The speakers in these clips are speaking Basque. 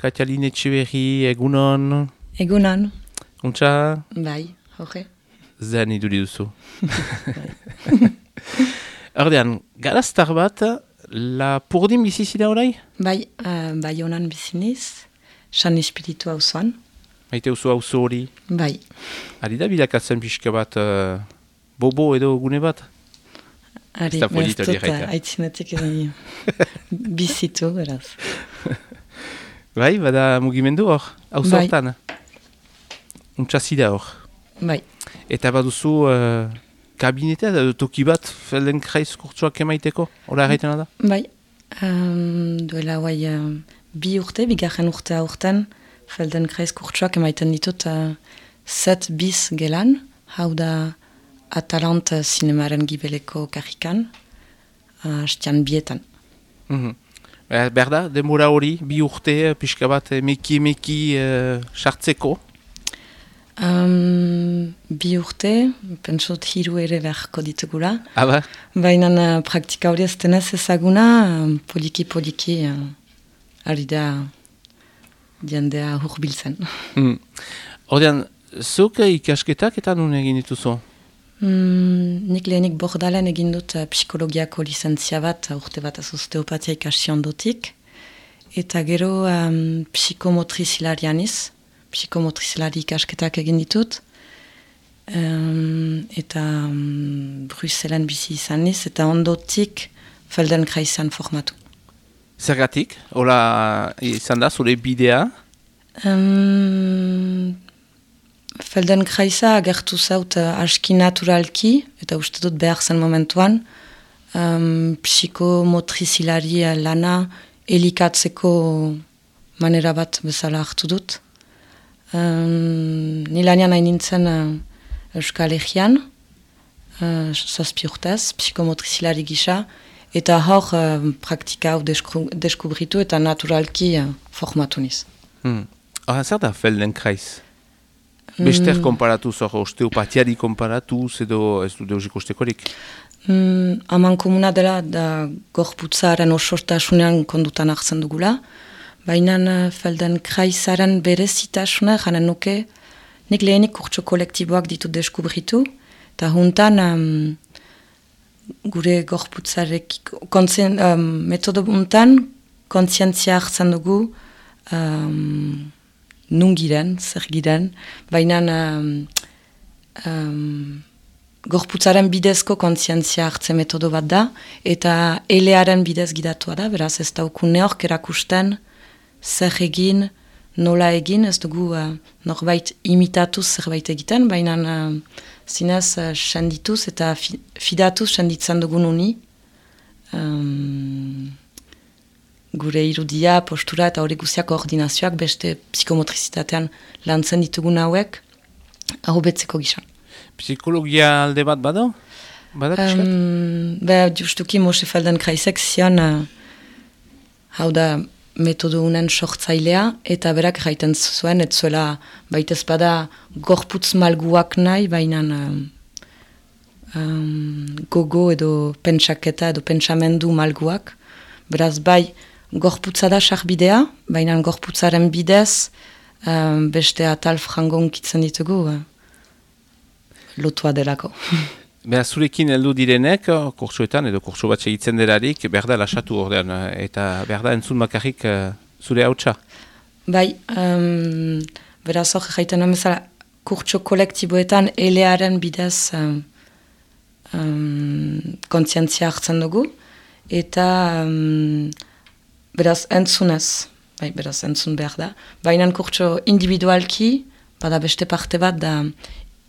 Katialine Etxeberri, egunon. Egunon. Untxa? Bai, hoge. Zen iduri duzu. Ordean, garaztar bat, Lapurdin bizizida orai? Bai, bai honan biziniz, San Espiritu hauzoan. Maite uzu hauzo hori? Bai. Ari da bilakatzen pixka bat, bobo edo gune bat? Ari, behaztut, aitzinetik bizitu, beraz. Bai, bada mugimendu hor, hauzo Bai. hortan? Untxazida hor. Bai. Eta baduzu kabinetea edo toki bat Feldenkrais kurtsuak emaiteko? Hora erraitena da? Bai. Duela guai bi urte, bigarren urtea urten, Feldenkrais kurtsuak emaiten ditut 7 bis gelan, hau da Atalant zinemaren gibeleko karrikan, hastian bietan. Behar da, denbora hori, bi urte, pixka bat meki sartzeko? Bi urte, pentsot hiru ere beharko ditugula. Aba? Baina praktika hori ez denez ezaguna, poliki ari da jendea hurbiltzen. Ordean, zuk ikasketak eta nun egin dituzu? Nik lehenik Bordalen egin dut psikologiako lizentzia bat, urte bat osteopatia ikasi ondotik. Eta gero psikomotrizilarianiz, psikomotrizilari ikasketak egin ditut. Eta Bruselen bizi izaniz, eta ondotik Feldenkraisen formatu. Zergatik? Hola izan da, zure bidea? Feldenkraisa agertu zaut aski naturalki, eta uste dut behar zen momentuan, psikomotrizilari lana elikatzeko manera bat bezala hartu dut. Nilanean hain nintzen Euskal Herrian, 7 urtez, psikomotrizilari gisa, eta hor praktika hau deskubritu eta naturalki formatu niz. Zer da Feldenkrais? Bester konparatuz, osteopatiari konparatuz edo ez du deusik ustekorik? Haman komuna dela da gorputzaren osortasunean kondutan hartzen dugula, baina Feldenkraisaren berezitasuna janen nuke, nik lehenik kurtso kolektiboak ditut deskubritu, eta juntan gure gorputzarek metodo untan kontzientzia hartzen dugu nungiren, zer giren, baina gorputzaren bidezko kontzientzia hartze metodo bat da, eta elearen bidez gidatua da, beraz ez dauku neork erakusten zer egin, nola egin, ez dugu norbait imitatuz zerbait egiten, baina zinez sendituz eta fidatuz senditzen dugun uni, gure irudia, postura eta hori guziak koordinazioak beste psikomotrizitatean lantzen ditugun hauek ahobetzeko gisa. Psikologia alde bat bado? Justuki Moshe Feldenkraisek zian hau da metodo unen sortzailea eta berak jaiten zuen, ez zuela baitez bada gorputz malguak nahi, baina gogo edo pentsaketa edo pentsamendu malguak, beraz bai gorputza da sarbidea, baina gorputzaren bidez beste atal frangon kitzen ditugu lotua delako. Beha, zurekin heldu direnek, kurtsuetan edo kurtsu bat segitzen delarik, behar da lasatu ordean, eta behar da entzun bakarrik zure hautsa? Bai, beraz hor jaiten amezala, kurtsu kolektiboetan elearen bidez kontzientzia hartzen dugu, eta beraz entzunez, beraz entzun behar da, baina kurtsu individualki, bada beste parte bat da,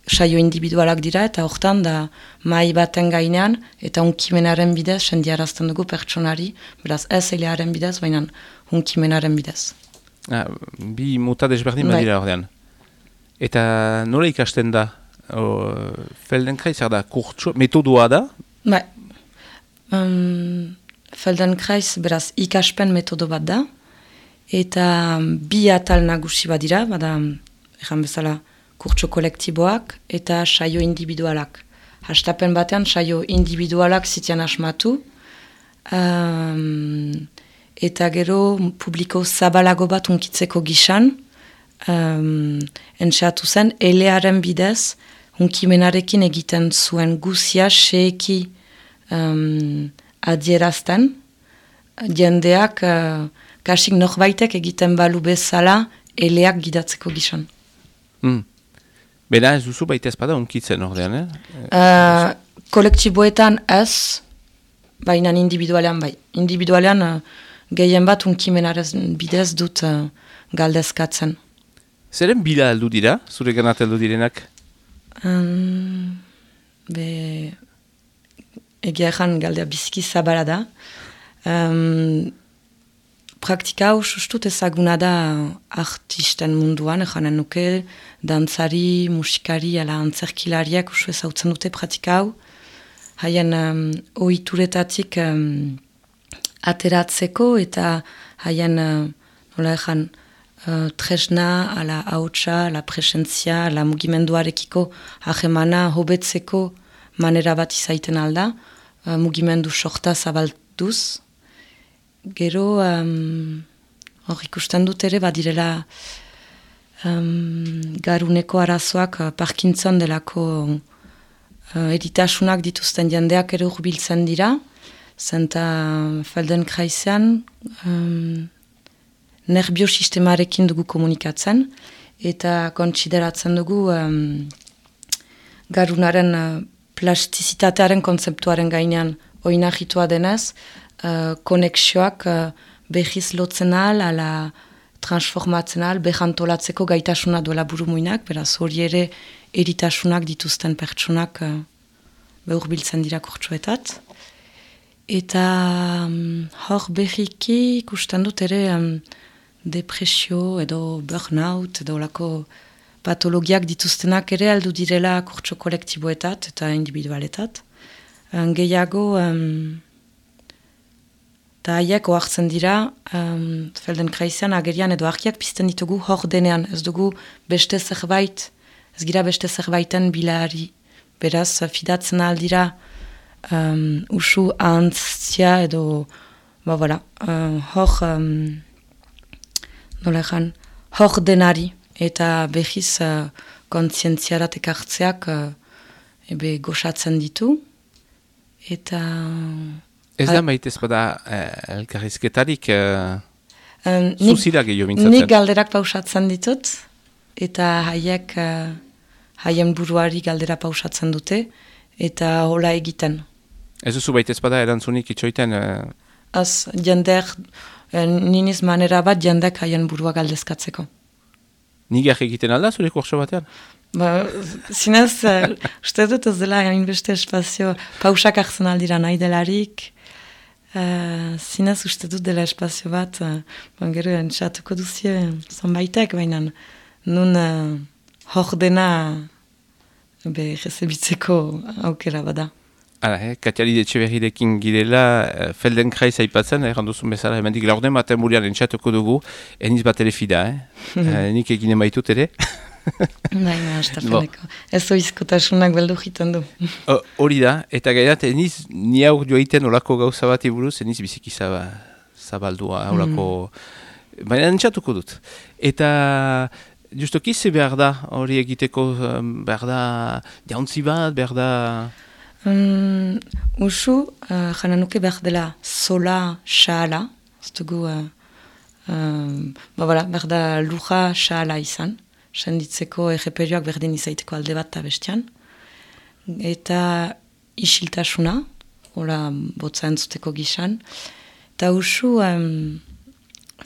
saio individualak dira, eta hortan da mai baten gainean, eta hunkimenaren bidez, sendiarazten dugu pertsonari, beraz ez elearen bidez, baina hunkimenaren bidez. Bi muta desberdin badira ordean. Eta nola ikasten da? Feldenkrais da kurtsu, metodoa da? Bai. Feldenkrais beraz ikaspen metodo bat da, eta bi atal nagusi badira, bada, egan bezala, kurtso kolektiboak eta saio individualak. Hastapen batean saio individualak zitian asmatu, eta gero publiko zabalago bat hunkitzeko gisan, entxeatu zen, elearen bidez, hunkimenarekin egiten zuen guzia seeki adierazten, jendeak kasik norbaitek egiten balu bezala eleak gidatzeko gisan. Bera ez duzu baita ezpada hunkitzen ordean, kolektiboetan ez, baina individualean bai. Individualean gehien bat hunkimenaren bidez dut galdezkatzen. Zeren bila heldu dira, zure ganat heldu direnak? Egia ezan galdea biziki zabala da. Praktika hau sustut ezaguna da artisten munduan, ejanen nuke, dantzari, musikari, ala antzerkilariak usu ezautzen dute praktika hau. Haien ohituretatik ateratzeko eta haien, nola ezan, tresna, ala hautsa, ala presentzia, ala mugimenduarekiko ahemana hobetzeko manera bat izaiten alda, mugimendu sorta zabalduz. Gero, hor ikusten dut ere, badirela garuneko arazoak Parkinson delako eritasunak dituzten jendeak ere urbiltzen dira, zenta Feldenkraisean nerbiosistemarekin dugu komunikatzen, eta kontsideratzen dugu garunaren plastizitatearen kontzeptuaren gainean oinahitua denez, konexioak behiz lotzen ala transformatzen behantolatzeko gaitasuna duela burumuinak, beraz hori ere eritasunak dituzten pertsonak behurbiltzen dira kurtsuetat. Eta hor behiki ikusten dut ere depresio edo burnout edo lako patologiak dituztenak ere aldu direla kurtso kolektiboetat eta individualetat. Gehiago eta haiek oartzen dira, Feldenkraisean agerian edo argiak pizten ditugu hor denean, ez dugu beste zerbait, ez gira beste zerbaiten bilari. Beraz, fidatzen aldira usu ahantzia edo, hor denari eta behiz kontzientziarat ekartzeak goxatzen ditu. Eta... Ez da maite ezpada elkarrizketarik zuzira gehiago mintzatzen? Nik galderak pausatzen ditut, eta haien buruari galdera pausatzen dute, eta hola egiten. Ez duzu baita ezpada erantzunik itxoiten? Az, jendeak, niniz manera bat jendeak haien burua galdezkatzeko. Nigar egiten alda zure kurso batean? Zinez, uste dut ez dela hainbeste espazio, pausak hartzen aldira nahi delarik, zinez uste dut dela espazio bat, gero entxatuko duzie zonbaitek, baina nun hor dena rezebitzeko aukera bada. Katialide Etxeberrirekin girela, Feldenkrais aipatzen, erranduzun bezala, hemendik laurden baten burian entxatuko dugu, eniz bat ere fida, nik eginen baitut ere. Baina, astarteneko. Ez oizkotasunak beldu jiten du. Hori da, eta gairat, eniz ni aur joaiten olako gauza bat iburuz, eniz biziki zabaldua, olako... Baina entxatuko dut. Eta... Justoki ze behar da, hori egiteko, behar da jauntzi bat, behar da... Usu, jana nuke behar dela sola, xaala, ez dugu, behar da luja, xaala izan, senditzeko egeperioak berdin izaiteko alde bat eta bestian, eta isiltasuna, hola botza entzuteko gizan, eta usu,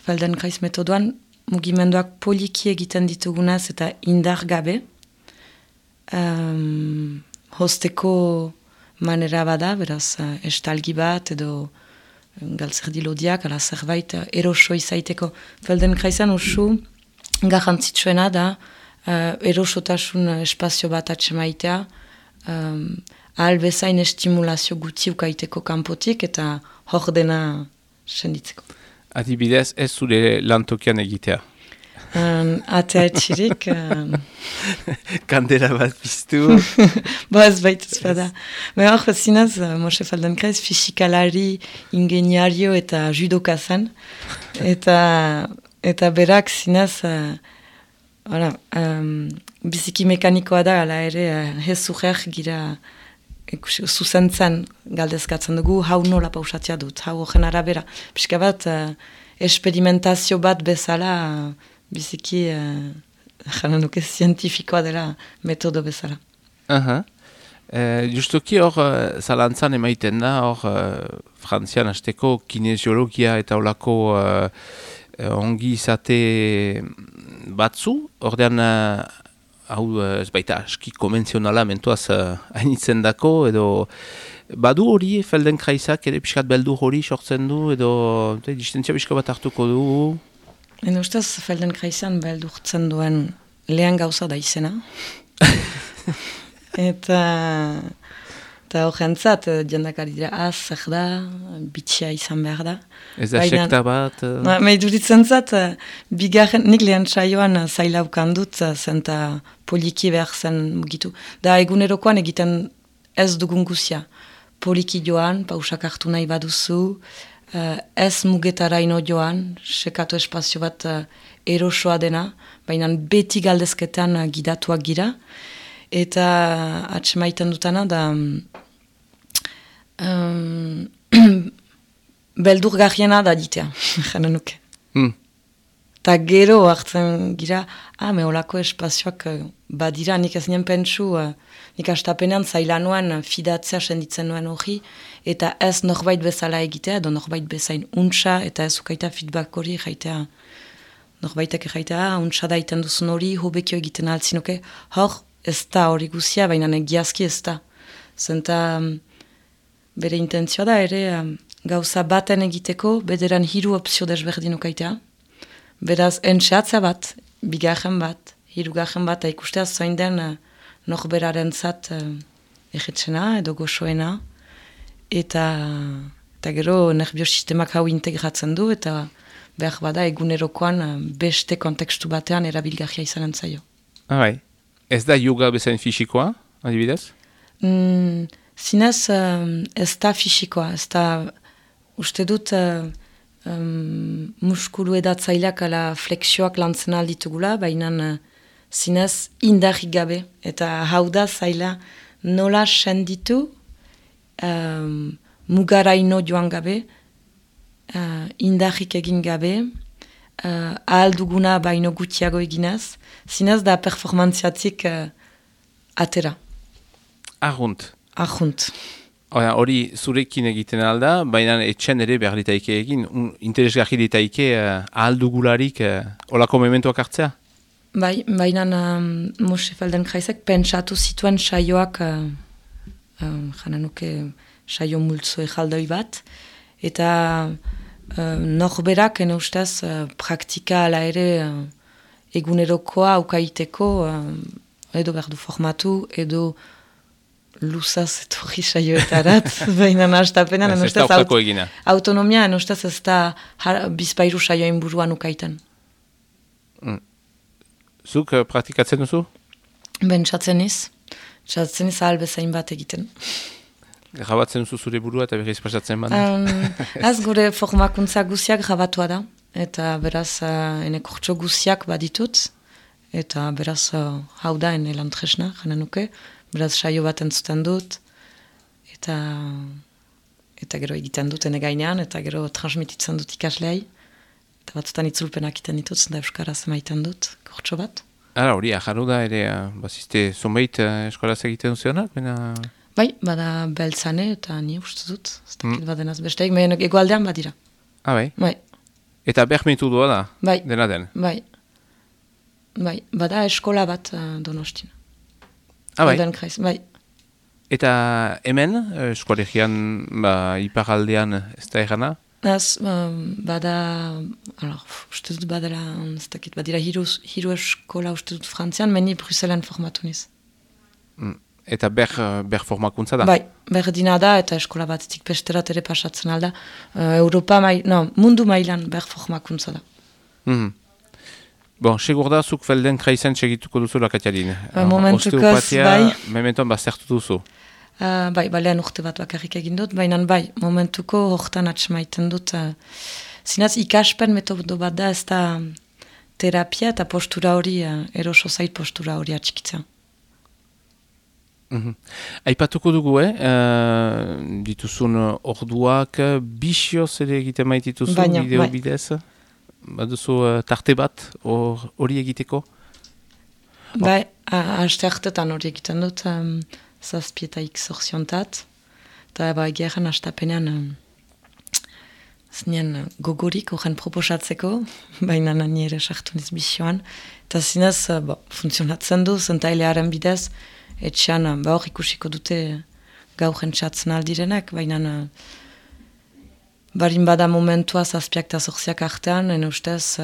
Feldenkrais metodoan, mugimenduak poliki egiten ditugunaz eta indar gabe, hosteko manera bada, beraz, estalgi bat edo galtzerdi lodiak, ala zerbait eroso izaiteko. Feldenkraisean usu garrantzitsuena da erosotasun espazio bat atxemaitea, ahal bezain estimulazio guti ukaiteko kanpotik eta hor dena senditzeko. Adibidez, ez zure lantokian egitea? Atea etxirik. Kandela bat piztu. Bo ez baituz bada. Baina hor, zinez, Moshe Feldenkrais fisikalari, ingeniario eta judoka zen. Eta berak zinez, biziki mekanikoa da, ala ere, hezuher gira zuzentzen galdezkatzen dugu, hau nola pausatzea dut, hau horren arabera. Pixka bat, esperimentazio bat bezala, biziki, jana nuke, zientifikoa dela metodo bezala. Justuki hor, zalantzan emaiten da, hor, Frantzian hasteko kinesiologia eta olako ongi izate batzu, ordean, hau ez baita aski konvenzionala mentuaz hainitzen dako, edo badu hori Feldenkraisak ere pixkat beldur hori sortzen du, edo distentzia pixka bat hartuko du? Ene ustez Feldenkraisan beldurtzen duen lehen gauza da izena. Eta horrentzat, jendakari dira, zer da, bitxia izan behar da. Ez da sekta bat? Meiduritzen zat, nik lehen saioan zailaukan dut, zenta poliki behar zen mugitu. Da egunerokoan egiten ez dugun guzia. Poliki joan, pausak hartu nahi baduzu, ez mugetaraino joan, sekatu espazio bat erosoa dena, baina beti galdezketan gidatuak gira. Eta atxemaiten dutana da beldurgarriena da ditea, jana nuke. Eta gero hartzen gira, meholako espazioak badira, nik ez nien pentsu, nik astapenean zaila nuen fidatzea senditzen nuen hori, eta ez norbait bezala egitea, edo norbait bezain untsa, eta ez ukaita feedback hori jaitea, norbaitek jaitea, untsa da iten duzun hori, hobekio egiten altzinoke, hor, ez da hori guzia, baina egiazki ez da. Zenta bere intentzioa da ere gauza baten egiteko, bederan 3 opzio desberdin ukaitea. Beraz, entxeatza bat, 2 bat, 3 bat, ikustea zoin den norberaren zat egetzena edo goxoena. Eta gero nerviosistemak hau integratzen du, eta behar bada egunerokoan beste kontekstu batean erabilgarria izanen zaio. Ez da yoga bezain fisikoa, adibidez? Zinez, ez da fisikoa, ez da, uste dut, muskulu edatzaileak ala flexioak lantzen alditugula, baina zinez indarrik gabe, eta hau da zaila nola senditu mugaraino joan gabe, indarrik egin gabe, ahal duguna baino gutiago eginez, zinez da performantziatik atera. Arrunt. Hori zurekin egiten alda, baina etxen ere behar ditaike egin, interesgarri ditaike ahal dugularik olako mementuak hartzea? Baina Moshe Feldenkraisek pentsatu zituen saioak, jana nuke saio multzo ejaldoi bat, eta norberak, ene ustez, praktika ala ere egunerokoa aukaiteko, edo behar du formatu, edo luzaz etorri saioetarat, baina hastapenean, ene ustez, autonomia, ene ustez, ez da bizpairu saioen buruan ukaiten. Zuk praktikatzen duzu? Bentsatzen iz ahal bezain bat egiten. Grabatzen duzu zure burua eta berriz pasatzen bat? Az gure formakuntza guziak grabatua da, eta beraz ene kortxo guziak baditut, eta beraz hau da ene lantresna, jana nuke, beraz saio bat entzuten dut, eta gero egiten dut ene gainean, eta gero transmititzen dut ikasleai, eta batzutan itzulpenak iten ditut, zenda euskaraz emaiten dut, kortxo bat. Hori, aharu da ere, bazizte zonbait eskoraz egiten duzuenak, baina... Bai, bada beltzane eta ni uste dut, ez dakit badenaz besteik, egoaldean badira. Bai? Eta behmetu doa da, dena den? Bai, bada eskola bat Donostin. Bai. Eta hemen, eskolegian, iparaldean ez da erana? Bada, uste dut badala, ez dakit, badira hiru eskola uste dut Frantzian, meni Bruselen formatu niz. Eta ber formakuntza da? Bai, berdina da eta eskola batetik besterat ere pasatzen alda. Mundu mailan ber formakuntza da. Bon, segur da, zuk Feldenkraisen segituko duzu Katialin. Momentukoz, bai. Mementoan bazertu duzu. Bai, balean urte bat bakarrik egin dut, baina bai, momentuko hortan atxemaiten dut. Zinaz, ikaspen metodo bat da, ez da terapia eta postura hori, eroso zait postura hori atxikitzen. Aipatuko dugu, dituzun orduak, bisioz ere egiten maitituzu, bideo bidez? Baduzu tarte bat hori egiteko? Bai, haste hartetan hori egiten dut, zazpietaik zorziontat, eta bai gehan hastapenean zinen gogorik horren proposatzeko, baina nani ere sartu niz bisioan, eta zinez funtzionatzen du, zentailearen bidez, etxean hor ikusiko dute gaur entzatzen aldirenak, baina barin bada momentua zazpiak eta zorziak artean, ene ustez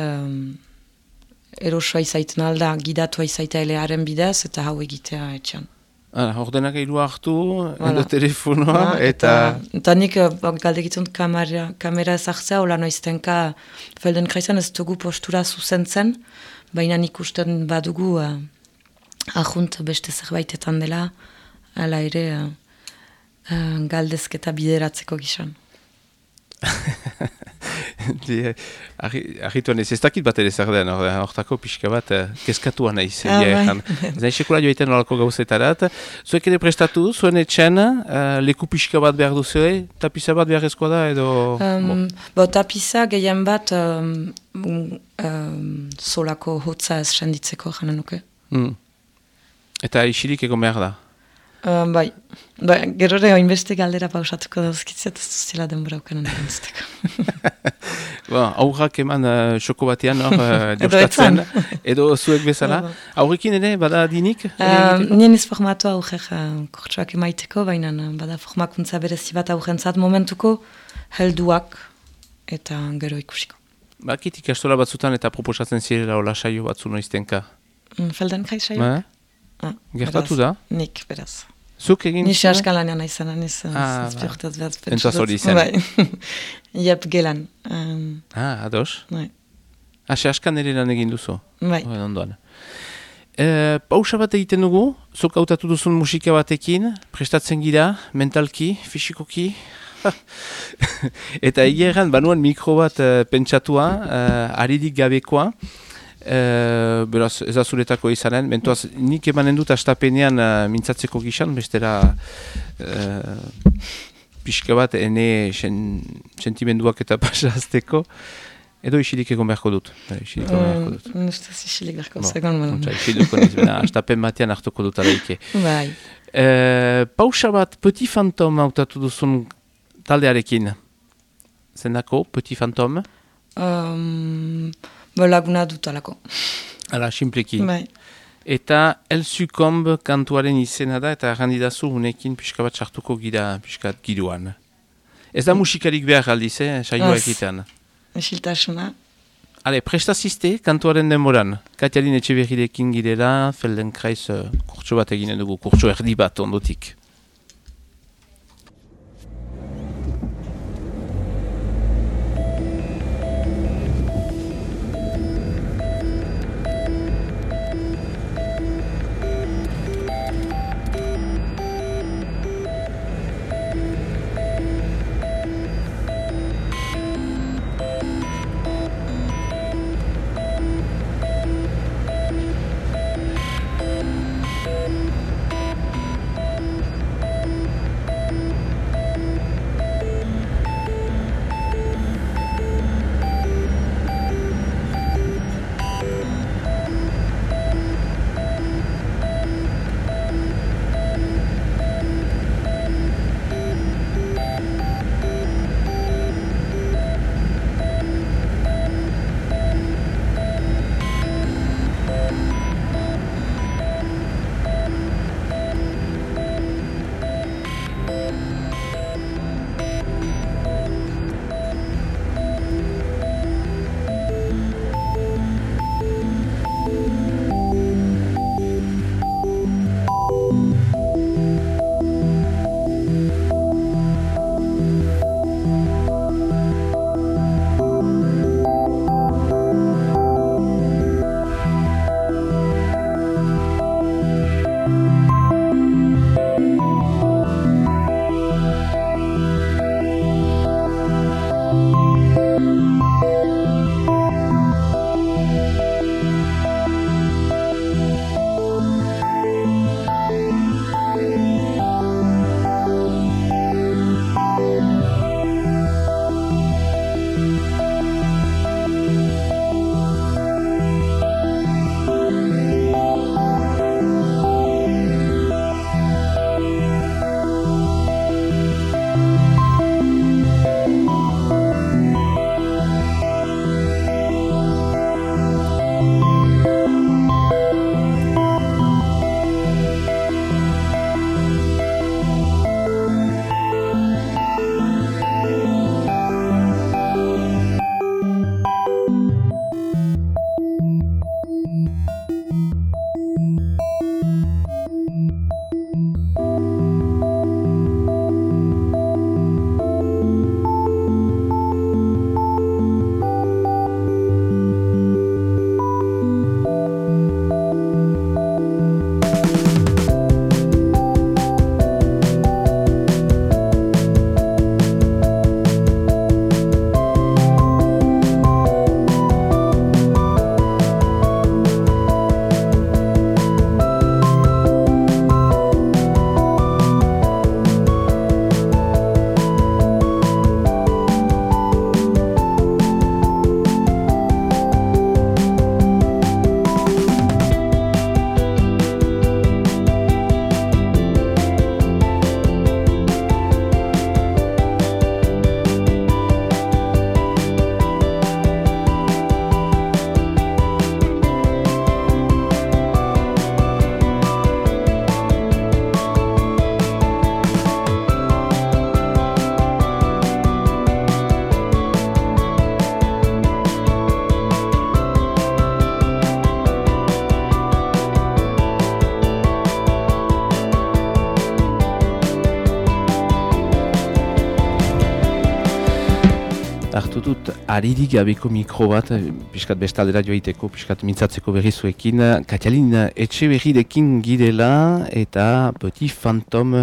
erosoa izaiten alda, gidatua izaita elearen bidez, eta hau egitea etxean. Ordenak eilu hartu, edo telefonoa, eta... Eta nik galdegitun kamera ezartzea, hola noiztenka Feldenkraisen ez dugu postura zuzentzen, baina nik usten badugu ahunt beste zerbaitetan dela, ala ere galdezketa bideratzeko gizan. Argituan ez dakit bat ere zer den, hortako pixka bat kezkatua nahi zen. Zain sekula joiten horako gauzetarat. Zuek ere prestatu, zuen etxen, leku pixka bat behar duzue, tapiza bat beharrezkoa da edo... Tapiza gehien bat solako hotza ez senditzeko janen nuke. Eta isirik egon behar da? Bai, gerore hainbeste galdera pausatuko dauzkitzet, ez duzela denbora ukanen erantzteko. Aurrak eman xoko batean jostatzen, edo zuek bezala. Aurrekin ere, bada dinik? Nien iz formatu aurrek kortsuak emaiteko, baina bada formakuntza berezi bat aurrentzat momentuko helduak eta gero ikusiko. Bakit ikastola batzutan eta proposatzen zirela hola saio batzu noiztenka? Feldenkrais saio? Gertatu da? Nik, beraz. Zuk egin? Nisi askalanean aizan, niz zazpiortaz behaz pentsatuz. Entuaz hori zen? Bai, iep gelan. Ados? Bai. Ase askan ere lan egin duzu? Bai. Ondoan. Pausa bat egiten dugu, zuk hautatu duzun musika batekin, prestatzen gira, mentalki, fisikoki, eta egeran banuan mikro bat pentsatua, aririk gabekoa, beraz, ez azuretako izanen, mentuaz, nik emanen dut astapenean mintzatzeko gizan, bestera pixka bat ene sentimenduak eta pasazteko, edo isilik egon beharko dut. Nustaz isilik beharko zegoen. Isiliko niz, astapen batean hartuko dut alaike. Bai. Pausa bat, Petit Fantôme hautatu duzun taldearekin. Zendako, Petit Fantôme? Laguna dut alako. Hala, simpleki. Bai. Eta El Succombe kantuaren izena da, eta errandidazu unekin pixka bat sartuko gira pixkat giroan. Ez da musikarik behar aldiz, saioa egitean. Esiltasuna. Hale, prestazizte kantuaren denboran. Katialin Etxeberrirekin girela, Feldenkrais kurtso bat eginen dugu, kurtso erdi bat ondotik. Hartu dut, aririk gabeko mikro bat, piskat bestaldera joaiteko, piskat mintzatzeko berrizuekin, Katialin Etxeberrirekin girela eta Petit Phantom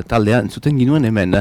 taldea entzuten ginuen hemen.